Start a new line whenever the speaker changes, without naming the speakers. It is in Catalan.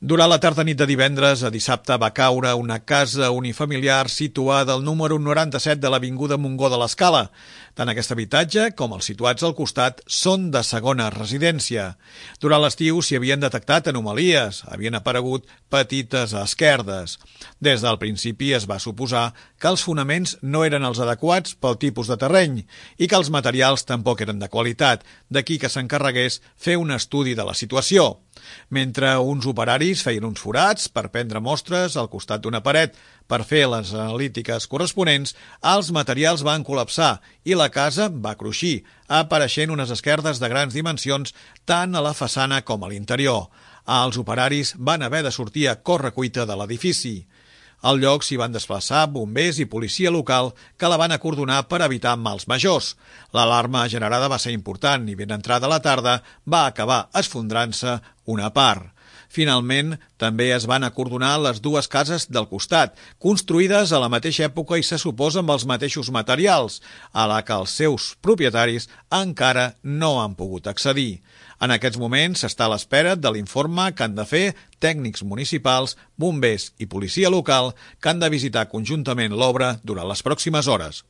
Durant la tarda nit de divendres a dissabte va caure una casa unifamiliar situada al número 97 de l'Avinguda Montgó de l'Escala. Tant aquest habitatge com els situats al costat són de segona residència. Durant l'estiu s'hi havien detectat anomalies, havien aparegut petites esquerdes. Des del principi es va suposar que els fonaments no eren els adequats pel tipus de terreny i que els materials tampoc eren de qualitat, d'aquí que s'encarregués fer un estudi de la situació. Mentre uns operaris feien uns forats per prendre mostres al costat d'una paret per fer les analítiques corresponents, els materials van col·lapsar i la casa va cruixir, apareixent unes esquerdes de grans dimensions tant a la façana com a l'interior. Els operaris van haver de sortir a correcuita de l'edifici. Al lloc s'hi van desplaçar bombers i policia local que la van acordonar per evitar mals majors. L'alarma generada va ser important i ben entrada la tarda va acabar esfondrant-se una part. Finalment, també es van acordonar les dues cases del costat, construïdes a la mateixa època i se suposa amb els mateixos materials, a la que els seus propietaris encara no han pogut accedir. En aquests moments s'està a l'espera de l'informe que han de fer tècnics municipals, bombers i policia local que han de visitar conjuntament l'obra durant les pròximes hores.